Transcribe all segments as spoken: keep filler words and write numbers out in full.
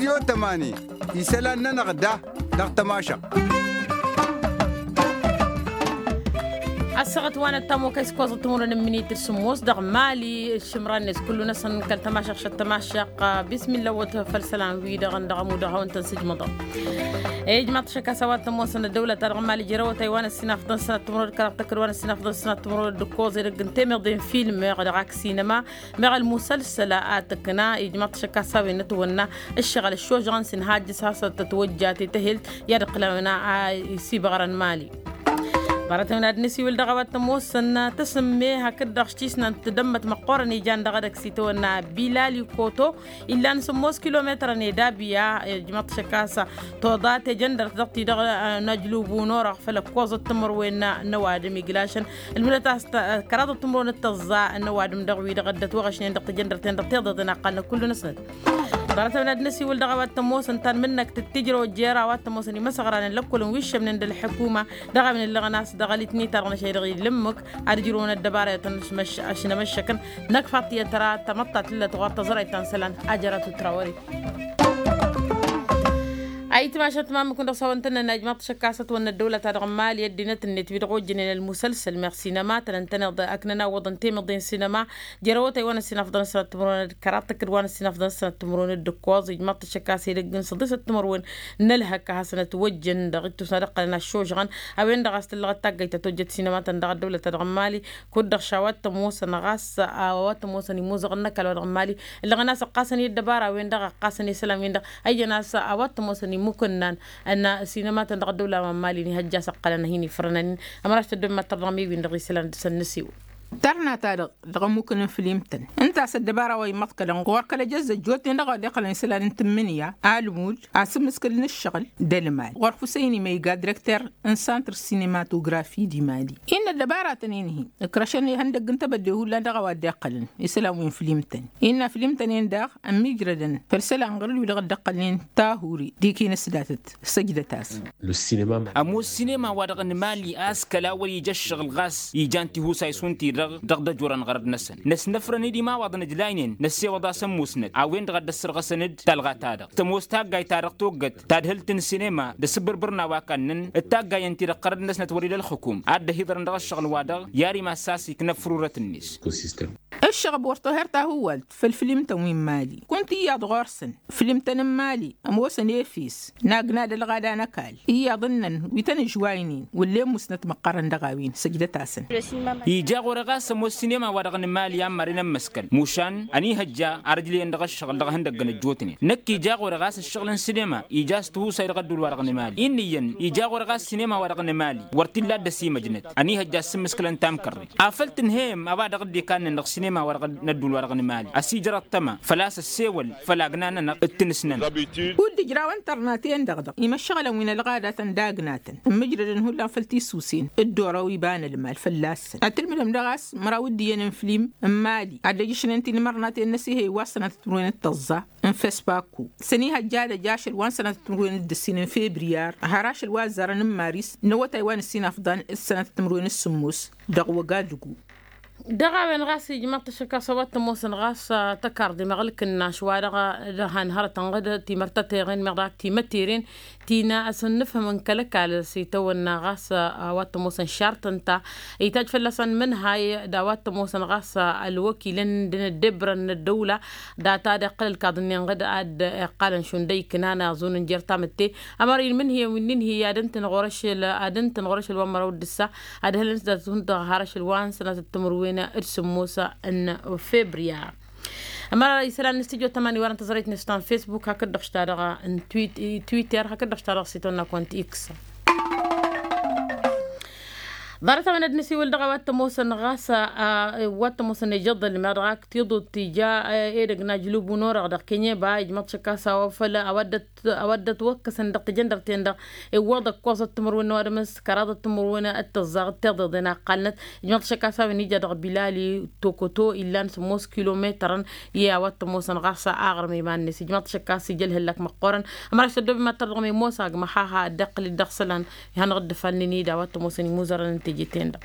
Tămani isălan-nănăɣ da dăɣ-tămašăɣt. Ăssaɣăt wa n-ăttamokăy s-koẓăt timǝrwen n-imǝnit d-sǝmmos dăɣ-mali. Ǝššǝmran-net kullu-năsăn kăl-tămašăɣt šăt tămašăɣt. Bismilla wăt făll-isălan-wi-dăɣ ǝndăɣ ămudăɣ a-wen tăn-sǝjmăḍăɣ. Ijmaḍ-t šăkk a-s a-wa t-ămoosăn ăddăwlăt-ta-dăɣ n-mali jere awătay wa n-ăssinafḍăn sănat timǝrwen d-kăraḍ tăkk d-wa n-ăssinafḍăn sănat timǝrwen d-ǝkkoẓ edăgg n-temăḍe n-filme dăɣ-ak sinăma. Meɣ ălmusălsăl a tǝkna ijmaḍ-t šăkk a-s a-wen n-ătwănna ǝššăɣǝl ăššožăɣăn s-inhajjǝs hasăn-tătwăjja tetăhelt i-ad-ǝqqǝlăn a-wen a isibăɣrăn mali. Ḍarăt-a-wen ad-nǝsiwǝl dăɣ-a-wa t-ămoosăn tasǝmme hakd-dăɣ s-tisnant d-ămmăt măqqoorăn ijan dăɣ-edăgg s-itawănna bilali koto illan sǝmmos kilometrăn i-dabiya. Ijmăḍ-t šăkk a-s toḍa tejăndărt dăɣ-ti-dăɣ n-ajlub unorăɣ făll-ăkkoẓăt timǝrwen n-ăwadǝm iglašăn ǝlmǝdăt a-s kăraḍăt timǝrwen d-tăẓẓa n-ăwadǝm dăɣ-wi-dăɣ ăddăt wăɣ-ašnen dăɣ-tejăndărten dăɣ-tiḍeḍen a ǝqqalnăt kullu-năsnăt. Ḍarăt-a-wen ad-nǝsiwǝl dăɣ-a-wa t-ămoosăn tanmǝnnăkt d-tijrăw jer-a-wa t-ămoosăn imăsăɣranen lăkkolăn wi ǝššămnen d-ălḥǝkuma dăɣ-a-wen ǝllăɣăn a-s dăɣ-alitni ta dăɣ-năšăy dăɣ-i dd-lǝmmǝk ad-ǝjrǝwăn ăddăbara i-tăn-năšmăš ašǝnămăššăkăn. Năkk faḍt i-ad-tăra tamăḍt ta tǝllăt ɣur-tăẓrăyt ta n-isălan. Ajărat u-trawări. Ayǝtmašăt mamǝk-win-dăɣ s-a-wăn tăn-nănna ijmaḍ-t šăkk a-s ătwănna ăddăwlăt-ta dăɣ-mali ăddinăt-net wi-dăɣ ojjănen ălmusălsăl meɣ sinăma tăn-ăntăneḍ ăknăn awwăḍăn temăḍe n-sinăma. Jer-awătay wa n-ăssinafḍăn ăssănăt timǝrwen d-kăraḍ tăkk d-wa n-ăssinafḍăn ăssănăt timǝrwen d-ǝkkoẓ ijmaḍ-t šăkk a-s edăgg n-săḍisăt timǝrwen n-ălhăkk a hasăn-ătwăjjăn dăɣ-ittus n-ad-ǝqqălăn ăššožăɣăn. A-wen-dăɣ a-s tǝllăɣăt taggayt ta tojjăt sinăma-tăn dăɣ-ăddăwlăt-ta dăɣ-mali. Kud-dăɣ šawăt tămoosăn ɣas a-wa tămoosăn imuzăɣăn n-ăkall wa dăɣ-mali ǝllăɣăn a-s ǝqqasăn i-ăddăbara-wen-dăɣ ǝqqasăn i-isălan-win-dăɣ. Ăyyăn a-s a-wa tămoosăn imukǝnnan n-sinăma-tăn dăɣ-ăddăwla wa n-mali n-ihăjja a-s ǝqqălăn a hin-ifrănăn-in. Ămăraš tăddob mad-tărdăɣ mi-win-dăɣ isălan dăr-săn nǝsiwǝl. Tărna-ta-dăɣ dăɣ-ămmukăn n-filimtăn ǝnta a-s ăddăbara wa immăḍkălăn ɣur-kăl-ejăzz ăjjootnen dăɣ-a wa dd-iqqălăn isălan n-tǝmmǝnǝya almud asǝmmǝskǝl n-ǝššăɣǝl d-ălmal ɣur-fusăyni ma iga direkter n-santr sinimatografi di mali. Innă ăddăbaratăn-in-hi ǝkrăšăn ihăndăgg n-tebădde hullan dăɣ-a wa dd-iqqălăn isălan wi n-filimtăn. Innă filimtăn-en daɣ ămmiijrădăn făll-isălan ɣur-dd wi-dăɣ dd-iqqălnen tahuri d-ikinǝs datăt săjdăt-asăn. Ămoos sinema wa dăɣ-nǝmali a-s kăla wăr-ija ǝššăɣǝl ɣas ijan tihusay šund-ti-dăɣ dăɣ-dd-ăjorăn ɣărăt-năsăn năsnăfrăn-dd imawaḍăn ǝjlaynen năssewăḍ-as ămmusnăt a-wen-dăɣ a dd-ăssărɣăsăn-dd talɣa-ta-dăɣ tămoos taggayt-ta-dăɣ toggăt tadhǝlt n-sinema d-asǝbbărbăr n-a-wa kannăn d-taggayăn-ti-dăɣ ɣărăt-năsnăt wăr-ila ălxǝkum ad-dd-ăhiḍărăn dăɣ-ăššăɣǝl-wa-dăɣ i-ad-imassas iknăfrurăt-net. Ǝššăɣăb wăr toher tahǝwwalt făll-filimtăn wi n-mali kunta iyyăḍ ɣur-săn filimtăn n-mali ămoosăn efes n-agna d-ălɣada n-ăkall iyyăḍ ǝnnăn wi tăn-ǝžwaynen wăllen musnăt măqqărăn dăɣ-a-wen săjdăt-asăn. Ija ɣur-e ɣas ămoos sinema wa dăɣ-nǝmali a n-măren ămmăskăl mušan ănihăjja ar ǝjleyăn dăɣ-ăššăɣǝl dăɣ-ihăndăggăn ăjjootnen năkk ija ɣur-e ɣas ǝššăɣǝl n-sinema ija a-s tihusay dăɣ-ădduul wa dăɣ-nǝmali. Inn'-iyyăn ija ɣur-e ɣas sinema wa dăɣ-nǝmali wăr t-illa a dd-ăsimăjnăt ănihăjja a ǝssǝmmǝskǝlăn tamkărrit afăl tǝnhăyăm a-wa dăɣ-dd-ikannen dăɣ-sinema wa dăɣ-nǝmali ăsijăr ăṭṭăma făl-a-s ăssewăl făll-agna-nănăɣ d-tinǝsnăn. Kud-ǝjrawăn tărnaten-dăɣ-dăɣ imăššăɣǝlăn wi n-ălɣadatăn d-agnatăn ǝmmǝjrădăn hullan făll-tisusen dd-orăw iba n-ălmal fălla-săn ad-tǝlmǝdăm daɣ a-s măraw d-iyyăn n-filim n-mali ad-dd-ăjjăšnen tinmărnaten n-asihăy wa s-sănatăt timǝrwen d-tăẓẓa n-fespaku s-ănihăjja ad-ăj ašăl wa n-sănatăt timǝrwen d-ǝssin n-febriyar har ašăl wa ăzzarăn n-maris n-awătay wa n-ǝssin afḍăn d-sănatăt timǝrwen d-sǝmmos dăɣ-wăgadugu. Dăɣ-a-wen ɣas ijmăḍ-t ăššăk a-s a-wa t-ămoosăn ɣas tăkarḍe meɣ ǝlkǝnnaš wa dăɣ-han hărătăn ɣǝd timărtăteɣen meɣ dăɣ-ak timăteren ti n-asǝnnǝfhǝmăn kăl-ăkall s-itawănna ɣas a-wa t-ămoosăn šart ǝnta itaj fălla-săn mǝnhay d-a-wa t-ămoosăn ɣas ălwăkilăn d-inǝddebrăn n-ăddăwla data d-iqqăl ǝlkaḍ-nin ɣǝd ad-iqqalăn šund ăyknan aẓun n-jer-tamǝtte. Ămăra inmǝnhǝyăn wi n-inhǝy ad-ǝntǝn ɣur-ašăl ad-ǝntǝn ɣur-ašăl wa n-măraw d-ǝssa ad-hălăn s-dat-hund dăɣ-har ašăl wa n-sănatăt timǝrwen d-sǝmmos n-febriya. Ămăra isălan n-stujo tămani wărăn tăẓrăyt-net ta n-fesbuk hakd-dăɣ s-ta-dăɣ n-twitter hakd-dăɣ s-ta-dăɣ s-itwănna kont x. Ḍarăt-a-wen ad-nǝsiwǝl dăɣ-a-wa t-ămoosăn ɣas a-wa t-ămoosăn ijăḍ ălmeɣ dăɣ-ak tiḍut tija edăgg n-ajlub unorăɣ dăɣ-kenyeba ijmăḍ šăkk a-s a-wa făl a-wa dd-ăt a-wa dd-ătwăkkăsăn dăɣ-tejăndărt-en-dăɣ iwwăḍ ăkkoẓăt timǝrwen n-ăwadǝm s-kăraḍăt timǝrwen d-tăẓẓaɣ d-tiḍeḍen a ǝqqalnăt. Ijmăḍ šăkk a-s a-wen ija dăɣ-bilali tokoto illan sǝmmos kilometărăn i-a-wa t-ămoosăn ɣas aɣrǝm iman-net ijmăḍ šăkk a-s ija ălhăllak măqqoorăn. Ămăraš tăddob imattăr dăɣ-mimosa agmăhaha dd-iqqǝl-dd dăɣ-isălan ihănăɣ-dd ifalnen-i d-a-wa t-ămoosăn imuzărăn ǝnta. Jeten-dăɣ.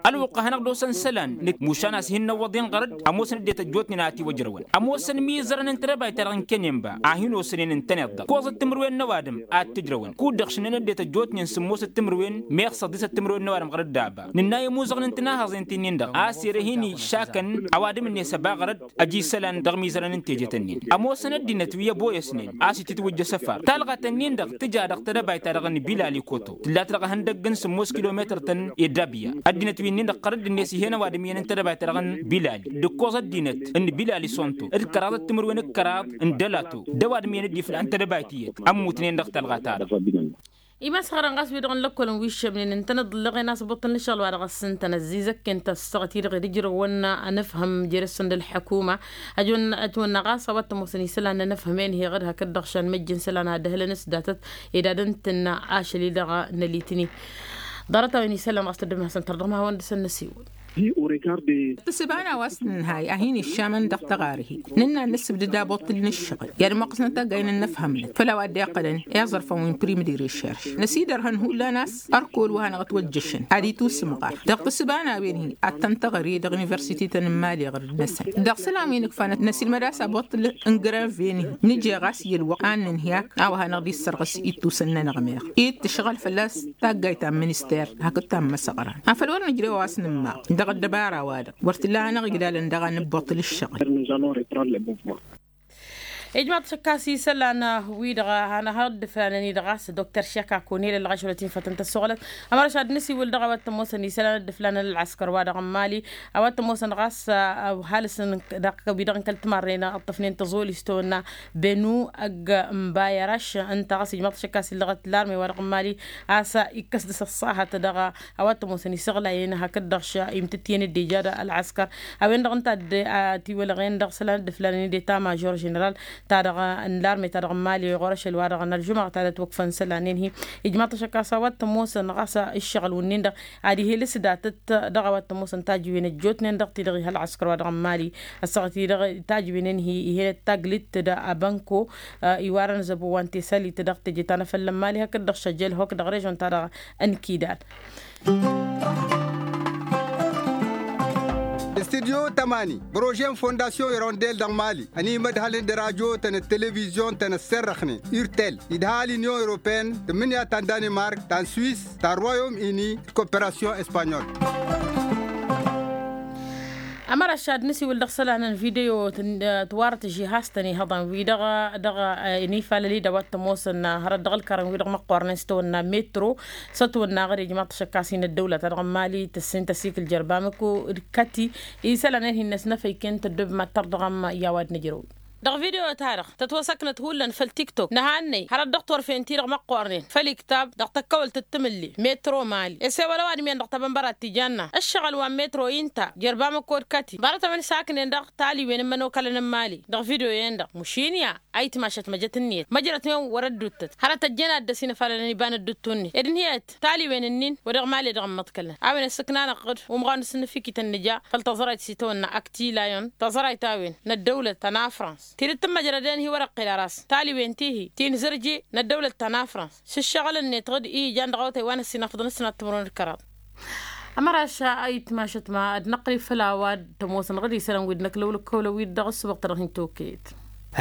Ălwăqq a hanăɣ-dd-osăn isălan nǝk mušan a-s hin-năwwăḍ-in ɣărăd. Ămoosăn ăddinăt ăjjootnen a ătiwăjrăwăn ămoosăn mizărăn n-tedăbayt-ta-dăɣ n-kănen ba a hin-osănen ǝntăneḍ-dăɣ ǝkkoẓăt timǝrwen n-ăwadǝm a t-ǝjrăwăn kud-dăɣ šǝnnăn ăddinăt ăjjootnen sǝmmosăt timǝrwen meɣ săḍisăt timǝrwen n-ăwadǝm ɣărăt daba. Nǝnna i-ămuẓăɣnen tinahaẓen ti-nin-dăɣ a-s ere hin-išakăn ăwadǝm-net ăba ɣărăd. Ăj isălan dăɣ-imizărăn n-tejet-nin ămoosăn ăddinăt wi ăboyăsnen a-s itǝtwǝjj asăfar talɣat-nin-dăɣ tǝja dăɣ-tedăbayt-ta-dăɣ n-bilali koto tǝlla-t dăɣ-ehăndăgg n-sǝmmos kilometăr-tăn i-dabya. Ăddinăt wi-nin-dăɣ ɣărăd-net ih'-en ăwadǝm iyyăn n-tedăbayt-ta-dăɣ n-bilali d-ǝkkoẓ ăddinăt n-bilali sonto d-kăraḍăt timǝrwen d-kăraḍ n-dălato d-ăwadǝm iyyăn dd-iflan tedăbayt iyyăt ămmutnen dăɣ-talɣa-ta-dăɣ. Imasxărăn ɣas wi-dăɣ n-lăkkol n-wi ǝššămnen ǝntăneḍ ǝllăɣen a-s ăbbuṭṭǝl n-ǝššăɣǝl wa dăɣ-s ǝntănăt zizăkken tăssaɣăt-i-dăɣ ed ǝjrăwăn anǝfhǝm jere-săn d-ălḥăkuma. Ăjwănna ɣas a-wa t-ămoosăn isălan n-anǝfhǝm-en heɣăd hakd-dăɣ šan măjjăn isălan ad-ăhlăn s-datăt ed ad-ǝntǝnna ašăl-i-dăɣ n-alitni. Ḍarăt-a-wen isălan ɣas tăddǝm hasăn-tărdăɣ ma hawăn-dăɣ săn-năsiwǝl. Tǝssǝba n-a-wa s-nǝnhay a hin-iššamăn dăɣ-taɣarhi nǝnna ad-nǝssǝbdǝd aboṭṭǝl n-ǝššăɣǝl i-ad-ămmoqqăsnăt taggayen n-inǝfhămnăt făll-a-wa dd-iqqălăn i-aẓrǝfăn wi n-prim d-irešerš. Năsidărhăn hullan a-s ărkol wa hanăɣ-ătwăjjăšăn ad-itusǝmɣar dăɣ-tǝssǝba n-a-wen-hi ad-tăn-tăɣri dăɣ-universite-tăn n-imali ɣǝrǝd-năsăn dăɣ-isălan wi nǝkfa năsilmăd a-s aboṭṭǝl n-grăven-hi. Nǝje ɣas i-ălwăqq a n-nǝnhǝy ak a-wa hanăɣ-dd-issărɣǝs ittusăn-nănăɣ meɣ i d-tǝšɣăl fălla-s taggayt ta n-minister hakd ta n-imăsăɣran afăl wăr nǝjrew a-wa s-nǝmmaɣ dăɣ-ăddăbara-wa-dăɣ wăr t-illa a hanăɣ-iglalăn daɣ ad-nǝbbuṭṭǝl ǝššăɣǝl. Ijmaḍ-t šăkk a-s isălan wi-dăɣ a hanăɣ-dd-ǝflanăn-i-dăɣ a-s dokter šeka kunel ălɣašrăt-in fătăn tăssoɣlăt. Ămăra šad nǝsiwǝl dăɣ-a-wa t-ămoosăn isălan dd-ǝflanăn ălɣăskăr-wa-dăɣ n-mali a-wa t-ămoosăn ɣas ăhalǝs dăɣ-wi-dăɣ n-kăl-timarren ǝṭṭăfnen tăẓoli s-tawănna benu ăgg n-bayăraš. Ǝnta ɣas ijmaḍ-t šăkk a-s illăɣăt larme-wa-dăɣ n-mali a-s ikkăs dăɣ-s ăṣṣahăt dăɣ-a-wa t-ămoosăn isăɣlayen hakd-dăɣ š-imtǝttiyen dd-ija d-ălɣăskăr. A-wen-dăɣ ǝnta a tiwălăɣen dăɣ-isălan dd-ǝflanăn-dd eta mažor ženeral-ta-dăɣ n-larme-ta-dăɣ n-mali ɣur-ašăl-wa-dăɣ n-ălžumăɣ ta dăt-wăkfăn isălan-en-hi. Ijmaḍ-t ašăk a-s a-wa t-ămoosăn ɣas ǝššăɣǝl-wǝnnin-dăɣ ad-ih'-e lǝsdatăt dăɣ-a-wa t-ămoosăn tajǝwen ăjjootnen dăɣ-ti-dăɣ ih' ălɣăskăr-wa-dăɣ n-mali. Ăssaɣăt-i-dăɣ tajǝwen-en-hi ih'-enăt taglit d-abănko iwarăn zăbo wa n-tesălit dăɣ-teje ta n-afăl n-mali hakd-dăɣ šăjjel hok dăɣ-režon-ta-dăɣ n-kidal. Studyo tămani bărože n-fondasyon irondel dăɣ-mali ănimădhălăn d-radyo-tăn d-televizyon-tăn ăssărrăxnen irtel idhal inyon europeen tǝmmǝnǝya ta n-danimark ta n-swis ta n-royom ini d-koperasyon espanyol. Ămăra šad nǝsiwǝl dăɣ-isălan n-video tiwarăt žihaz-tăn ihăḍan-wi-dăɣ dăɣ-inifalăl-i d-a-wa t-ămoosăn hărăt dăɣ-ǝlkărăn-wi-dăɣ măqqoornen s-tawănna metro s-ătwănna ɣăr ijmaḍ-t ašăk a-s hin-ăddăwla-ta-dăɣ n-mali tǝssin tăsikǝl jărbamăko d-kăti isălan-en hin-năsnăfăyken tăddob mad-tărdăɣăm i-a-wa d-nǝjrăw. Dăɣ-video-ta-dăɣ tătwăsăknăt hullan făll-tiktok nǝhannăy hărăt dăɣ-turfen-ti-dăɣ măqqoornen făll-iktab dăɣ-tăkkăwălt d-timǝlli metro mali ăsewăl ăwadǝm-en dăɣ-tabănbăra t-ijanna ǝššăɣǝl wa n-metro inta jărbamăko d-kăti ḍarăt-a-wen s-haknen dăɣ-taliwen n-imănokalăn n-mali dăɣ-video-en-dăɣ mušin ya. Ayǝtmašăt măjăt ǝnniyăt măjrătnen wăr-ădduttăt hărăt ăjjăn ad-dăr-s inǝfalălăn iba n-ădduttu-net ed ǝnniyăt taliwen-ǝnnin wa dăɣ-mali dăɣ-ămmăḍkălnăt a-wen ăssǝknanăɣ-dd umɣan s-inǝfikităn nǝja făll-taẓrayt s-itawănna aktilayon taẓrayt a-wen n-ăddăwlăt ta n-afrans tidǝt tǝmmăjrăden hi-wăr-ăqqel ăras taliwen ti-hi ti n-zărje n-ăddăwlăt ta n-afrans s-ǝššăɣǝl-net ɣǝd i-ijan dăɣ-awătay wa n-ăssinafăḍăn s-sănat timǝrwen d-kăraḍ. Ămăra ašăl a itmašăt ma ad-năqqǝl făll-a-wa t-ămoosăn ɣǝd isălan wi dd-năkla ulăkkăwlăn wi-dăɣ ăssubăɣ-tăn-dăɣ hin-tokăyăt.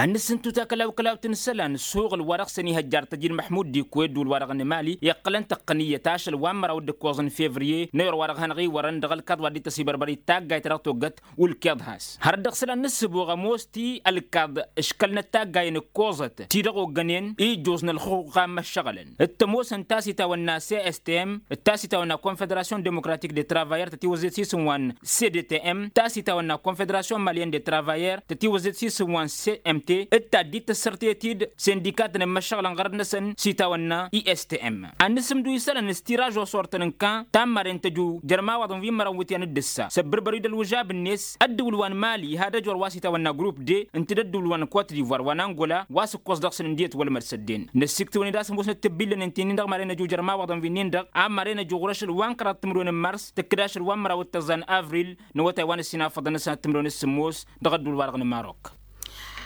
Ad-nǝssǝntu takălawkălawt n-isălan s-uɣǝl wa dăɣ-săn ihăjjar tăjin măḥmud d-ikwe ădduul wa dăɣ-nǝmali iqqălăn tăqqǝnǝyyăt ašăl wa n-măraw d-ǝkkoẓ n-fevriye n-ayǝr wa dăɣ-hanăɣ-iwărăn dăɣ-ălkaḍ wa dd-tăsibărbăr d-taggayt ta dăɣ-toggăt ulkeḍ has hărăt dăɣ-isălan n-ǝssǝbuɣ ămoos ti ălkaḍ ǝškălnăt taggayen ǝkkoẓăt ti dăɣ-oggănen ijjoẓ n-ălxuqqa n-imăššăɣǝlăn d-tămoosăn ta s-itawănna cstm d-ta s-itawănna confederasyon demokratik de travayer tătiwăzzet s-isǝm wa n-cdtm ta s-itawănna confederasyon malyen de travayer tătiwăzzet s-isǝm wa n-cmt d-taddit tăssărtet-dd sindikatăn n-imăššăɣǝlăn ɣărăt-năsăn s-itawănna istm ad-nǝsǝmdu isălan s-tiraž osortăn n-kan ta n-maren tăju jer-imawaḍăn wi n-mărăn wǝtyan d-ǝssa s-ăbbărbăr-wi d-ălwǝžab-net ăddǝwǝl wa n-mali ihad ăjor wa s-itawănna grupp d ǝnta d-ăddǝwǝl wa n-kot divoir wa n-angola wa s-ǝkkoẓ dăɣ-săn ǝndiyăt wălmăd s-ăddin năssiktǝwăn-dd a-s ămoosnăt tǝbbillăn ǝnta-in-dăɣ maren ăju jer-imawaḍăn wi-nin-dăɣ a maren ăju ɣur-ašăl wa n-kăraḍ timǝrwen n-mars tǝkkǝd ašăl wa n-măraw d-tăẓẓa n-avril n-awătay wa n-ăssinafăḍăn-năsăn ad-timǝrwen s-sǝmmos dăɣ-ăddǝwǝl-wa-dăɣ n-marok.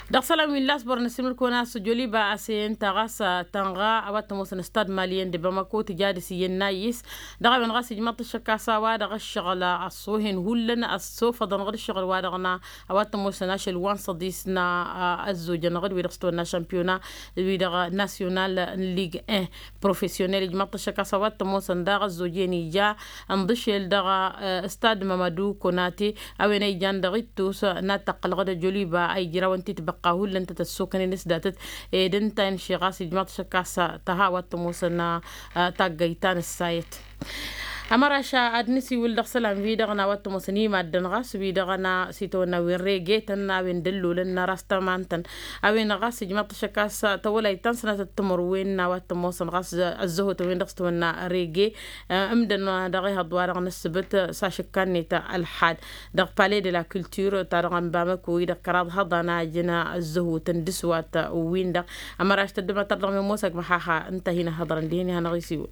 Dăɣ-isălan wi n-lasbăr n-asǝlmǝd-kăwăn a-s joliba a-s e ǝnta ɣas tănɣa a-wa t-ămoosăn stad maliyen d-bamako tǝja dăr-s iyyăn n-ayǝs. Dăɣ-a-wen ɣas ijmăḍ-t ăššăk a-s a-wa-dăɣ ǝššăɣǝl ăṣṣoohen hullan ăṣṣofăḍănăɣ d-ǝššăɣǝl-wa-dăɣ n-a-wa t-ămoosăn ašăl wa n-săḍis n-ăzzojănăɣ d-wi-dăɣ s-tăwănna šămpiyona wi-dăɣ nasyonal n-lig en profesyonel ijmăḍ-t ăššăk a-s a-wa t-ămoosăn daɣ ăzzoj-en ija ǝnḍǝšel dăɣ-stad mămădu konate. A-wen a ijan dăɣ-ittus n-ad-tăqqălăɣ d-ajoliba a ijrawăn titbăqqa hullan tăt-ăssokănen s-datăt ed ǝnta-en ši ɣas ijmăḍ-t šăkk a-s tăha wa t-ămoosăn taggăyt ta n-ǝssayăt. Ămăraš ad-nǝsiwǝl dăɣ-isălan-wi-dăɣ n-a-wa t-ămoosăn imaddăn ɣas wi-dăɣ n-a s-itawănna wen regetăn a-wen d-ăllolăn n-aras tămantăn. A-wen ɣas ijmăḍ-t šăkk a-s tăwălayt ta n-sănatăt timǝrwen n-a-wa t-ămoosăn ɣas ăzzăhotăn-wen-dăɣ s-tawănna rege. Ǝmdăn dăɣ-ehăḍ-wa-dăɣ n-ǝssǝbǝt s-ašǝkka-net ălḥad dăɣ-pale de la culture ta dăɣ-n bamăko-i dăɣ-kăraḍ hăḍan a ǝjǝn ăzzăhutăn d-ǝswat. Wi-dăɣ ămăraš tăddămatăr dăɣ-memmosăg măxaxa ǝnta a hin-ăhhăḍărăn dihen ihănăɣ-isiwǝl.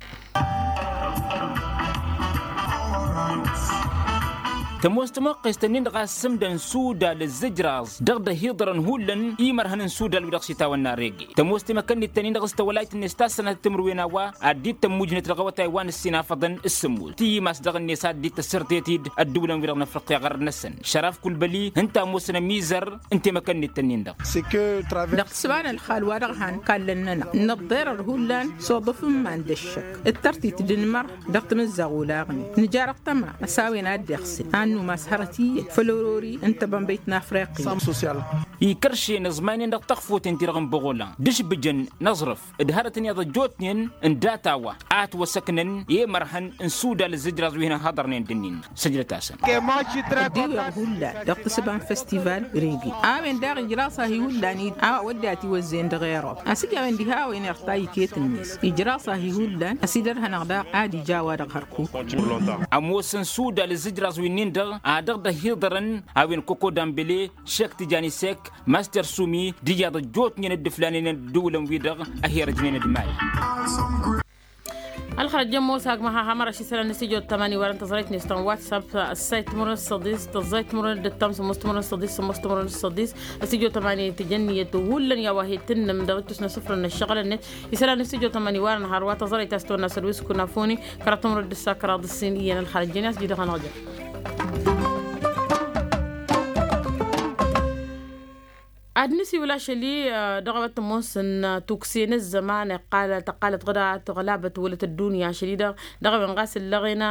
Tămoos tămoqqest-ǝnnin-dăɣ a s-ǝmdăn sudal ǝzzǝjraẓ dăɣ-dd-ăhiḍărăn hullan imărhăn n-sudal wi-dăɣ s-itawănna rege. Tămoos temăkănnit-tăn-in-dăɣ s-tawălayt-net ta s-sănatăt timǝrwen n-a-wa ad-dd-tămmujnet dăɣ-awătay wa n-ǝssin afăḍăn s-sǝmmut tǝyyǝm a-s dăɣ-net ad-dd-tăssărtet-dd ădduulăn-wi-dăɣ n-afriqya ɣărăt-năsăn šăraf kulbăli ǝnta ămoosăn ămizăr n-temăkănnit-tăn-in-dăɣ. Dăɣ-tǝsba n-ălxal wa-dăɣ han kallăn-nănăɣ nǝḍḍerăr hullan s-oḍǝf n-iman d-ăššăk d-tărtit d-inmăr dăɣ-tamǝzzaɣ olaɣnen nǝjar ăṭṭăma a-s a-wen a dd-iɣsǝl a ănnumas hărăt iyyăn făll-orori n-tebănbăyt n-afriqya. Ikăršen aẓmaynen dăɣ-taxfoten-ti-dăɣ n-băɣola d-ašbǝjăn n-aẓrǝf d-hărătăn iyyăḍ ăjjootnen n-data wa a ătwăsăknăn i-imărhăn n-sudal ǝzzǝjraẓ wi hin-ăhhăḍărnen d-ǝnnin-năɣ săjdăt-asăn. Ăddiwăɣ hullan dăɣ-tǝsba n-festival rege a-wen daɣ ijraẓ ahi hullan-i a-wa wădden ătiwăzzeyăn dăɣ-erob a-s ija a-wen diha a-wen irta iket-net ijraẓ ahi hullan ăsidărhănăɣ daɣ ad-ija a-wa-dăɣ hărkuk. Ămoosăn sudal ǝzzǝjraẓ wi-nin-dăɣ a dăɣ-dd-ăhiḍărăn a-wen koko dambele šek tijani sek master sumi d-ijaḍ ăjjootnen dd-ǝflanen ădduulăn-wi-dăɣ ăherăjnen d-mali. Ălxărăt jăn mosag măha hamăraš isălan n-stujo tămani wărăn tăẓrăyt-net ta n-whatsapp ăssayt timǝrwen s-săḍis tăẓẓayt timǝrwen d-ăttam sămmos timǝrwen s-săḍis sămmos timǝrwen s-săḍis. Stujo tămani tǝjăn iyyăt hullan i-a-wa he-tǝnnǝm dăɣ-ittus n-asǝfrăn n-ăššăɣǝlăn-net isălan n-stujo tămani wărăn har wa tăẓrăyt a-s tăwănna săr wi s-kunafoni kăraḍ timǝrwen d-ǝssa kăraḍ ǝssin iyyăn ălxărăt jăn i-a-s jidăɣ-anăɣ-jăn. Ad-nǝsiwǝl ašăl-i dăɣ-a-wa t-ămoosăn tukse n-ăzzăman iqqal tăqqalăt ɣǝda tăɣlabăt wălăt ăddunya ašăl-i-dăɣ dăɣ-a-wen ɣas ǝllăɣen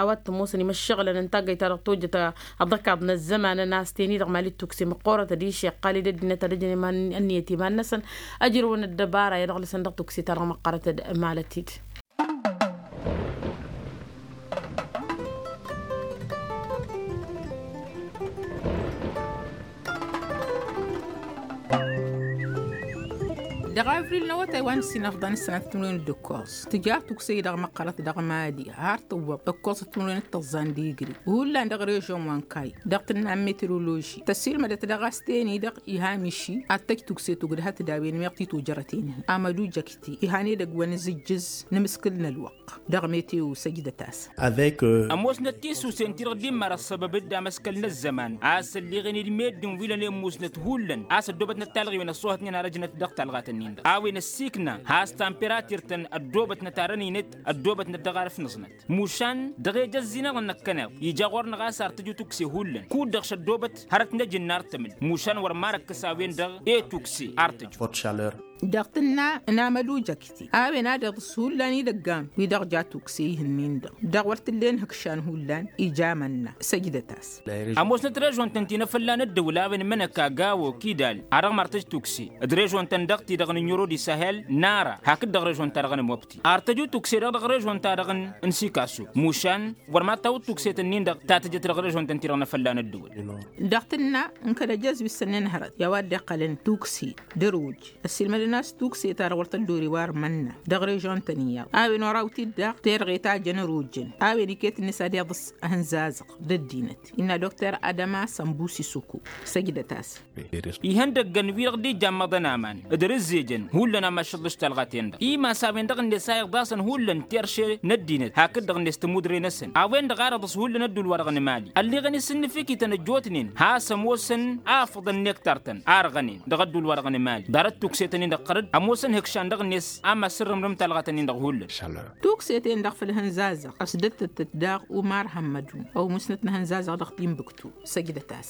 a-wa t-ămoosăn imăššăɣǝlăn n-taggăyt-ta-dăɣ tojjăt ăḍḍăkaḍ n-ăzzăman ănasteni-dăɣ mali d-tukse măqqoorăt ădiš iqqal-dd ăddinăt ad-ăjăn ănniyăt iman-năsăn ăjrăwăn ăddăbara i-ad-ăɣlǝsăn dăɣ-tukse-ta-dăɣ măqqărăt d-malăt-dd. Dăɣ-avril n-awătay wa n-ǝssin afḍăn ǝssănat timǝrwen d-ǝkkoẓ tǝja tukse-i-dăɣ măqqărăt dăɣ-mali har tǝwwăḍ ǝkkoẓăt timǝrwen d-tăẓẓa n-digri hullan dăɣ-režon wa n-kay dăɣ-tǝnna n-meteoroloži tăsilmădăt dăɣ-a-s ten-i-dăɣ iha miši ad-tăj tukse tugdăhăt d-a-wen meɣ titojărăten-hi amădu jăkti iha n-edăgg wa n-azǝjjǝz n-amǝskǝl n-ălwăqq. Dăɣ-meteo săjdăt-as. Ămoosnăt tisusen ti dăɣ-dd-immar ăssăbăb-dd amăskăl n-ăzzăman a-s ălleɣen-dd meddǝn wi lănen musnăt hullan a-s ăddoobătnăt talɣiwen ăṣṣoohătnen arăjnăt dăɣ-talɣat-nin-dăɣ a-wen ăssiikna has-tamperatir-tăn ăddoobătnăt arăninăt ăddoobătnăt dăɣ-arǝf n-aẓnăt mušan dăɣ-ejăzzi-nănăɣ năkkăneḍ ija ɣur-năɣ a-s ar tǝju tukse hullan kud-dăɣ šăddoobăt hărăt n-ejǝnnar tămǝl mušan wăr marăkkăs a-wen-dăɣ e-tukse ar tǝju. Dăɣ-tǝnna n-amălujăkti a-wen ad-iḍǝs hullan idăggan wi-dăɣ ja tukse ihǝnnin-dăɣ dăɣ-wăr t-ǝllen hǝkšan hullan ija amănna săjdăt-as. Ămoosnăt režon-tăn ti n-afălla n-ăddăwǝl a-wen mănăka gawo kidal a dăɣ-martăj tukse d-režon-tăn dăɣ-ti-dăɣ n-ǝnjăro d-isahel nara hakd-dăɣ režon-ta-dăɣ n-amobti ar tăju tukse-dăɣ dăɣ-režon-ta-dăɣ n-sikasu mušan wăr ma tawǝd tukset-ǝnnin-dăɣ ta tǝjăt dăɣ-režon-tăn ti-dăɣ n-afălla n-ăddăwǝl. Dăɣ-tǝnna n-kăl-ejăz wi s-sănnen hărăt i-a-wa dd-iqqălăn tukse d-ăruj ăssiilmădăn. N-a-s tukse ta dăɣ-wăr tăddorew armănna dăɣ-režon-tăn iyyăḍ a-wen oraw-t-dd daɣ terɣe ta jăn ărujăn a-wen iket-net ad-iḍǝs ahǝnzazăɣ d-ăddinăt. Innă dokter adăma sănbusi suku. Săjdăt-as. Ihăndăggăn wi-dăɣ dd-ijjammăḍăn aman d-rǝzzejăn hullan a măššăḍlǝš talɣa-ten-dăɣ imas a-wen-dăɣ-net a iḍasăn hullan terše n-ăddinăt hakd-dăɣ-net tămudre-năsăn a-wen-dăɣ ar iḍǝs hullan ădduul-wa-dăɣ n-emali. Ălleɣăn-i s-ǝnnǝfikităn ăjjootnen has-ămoosăn a afăḍăn nektar-tăn a ărɣănen dăɣ-ădduul-wa-dăɣ n-emali ḍarăt tukse-tăn-in-dăɣ ɣărăt ămoosăn ihǝkšan dăɣ-net a măssărrǝmrǝm talɣa-tăn-in-dăɣ hullan. Tukse-ten-dăɣ făll-ihănzazăɣ ăsdăttătăt daɣ umar hămmădun ăwmusnăt n-ihănzazăɣ dăɣ-timbuktu. Săjdăt-as.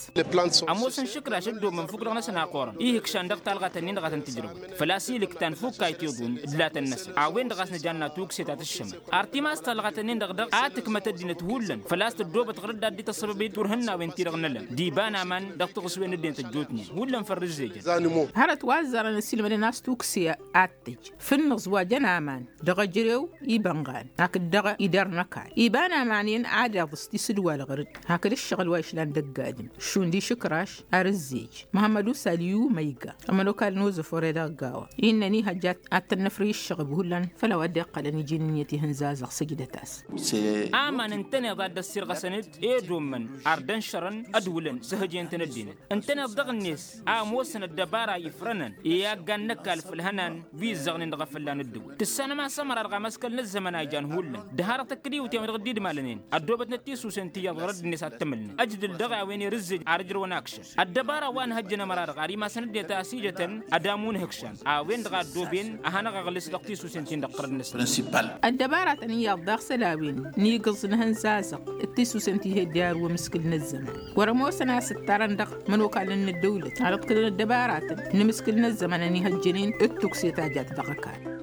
Ămoosăn šǝkraš ăddoobmăn fukk-dăɣ-năsăn a qorăn ihǝkšan dăɣ-talɣa-tăn-in-dăɣ a tăn-tǝjrăwăn făl-a-s ilǝktan fukk a itǝḍun d-latăn-năsăn a-wen-dăɣ a-s nǝjanna tukse ta tǝššămăt. Ar timas talɣa-tăn-in-dăɣ dăɣ-a tǝkmăt ăddinăt hullan făl-a-s tăddoobăt ɣărăt d-ad-dd-tăssăbăb i-turhǝnnawen-ti-dăɣ n-ălăm d-iba n-aman dăɣ-tiɣǝswen ăddinăt ăjjootnen hullan făll-rǝzzejăn. Hărăt wa ăzzarăn ăssiilmădăn a-s tukse ad-tăj fǝnnăẓ wa jăn aman dăɣ-ejărew ibănɣan hakd dăɣ-idărnăkal iba n-aman-en ad-iḍǝs tisǝdwal ɣăr-dd hakd ǝššăɣǝl wa išlan dăgg-adǝm šund išǝkraš. Arǝzzej măhămmăd usal i-umăyga ămănokal n-ozăfore dăɣ-gawa innă ănihăjja ad-tăn-năfrǝy ǝššăɣǝb hullan făll-a-wa dd-iqqălăn iji n-ǝnniyăt ihǝnzazăɣ. Săjdăt-as. Aman ǝntăneḍ ad-dd-ăssirɣăsăn-dd ed ommăn ar dd-ănšărăn ădwǝlăn s-ehăjăyăn-tăn ăddinăt ǝntăneḍ dăɣ-net a ămoosăn ăddăbara ifrănăn i-aggan n-ăkall făll-ihănan wi ǝzzăɣnen dăɣ-efăllan ǝddǝwǝl tǝssanăm a-s ămăra dăɣ-amăskăl n-ăzzămăn a ijan hullan d-hărăt ăkkăd iwǝtyan wi-dăɣ dd-idmalănen ăddoobătnet tisusen ti iyyăḍ ɣur-ăddinăt ad-t-ămǝlnăt ăjdǝl dăɣ-a-wen irǝzzej ar ǝjrăwăn akšăn ăddăbara wa n-hăjjăn ămăra-dăɣ ar imasăn ăddinăt a ăsijătăn ădamu n-ihǝkšan a-wen-dăɣ a ăddooben ăhanăɣ-aɣlǝs dăɣ-tisusen-tin-dăɣ ɣur-ăddinăt. Ăddăbara-tăn iyyăḍ daɣ s-ălawen n-igǝẓ n-ihănzazăɣ d-tisusen ti he-dd-iyyăr wămǝskǝl n-ăzzăman wăr-ămoosăn a-s ǝttarăn dăɣ-imănokalăn n-ăddăwlăt ad-ǝḍkǝlăn ăddăbara-tăn n-imǝskǝl n-ăzzăman ănihăjjănen d-tukse ta jat dăɣ-ăkall.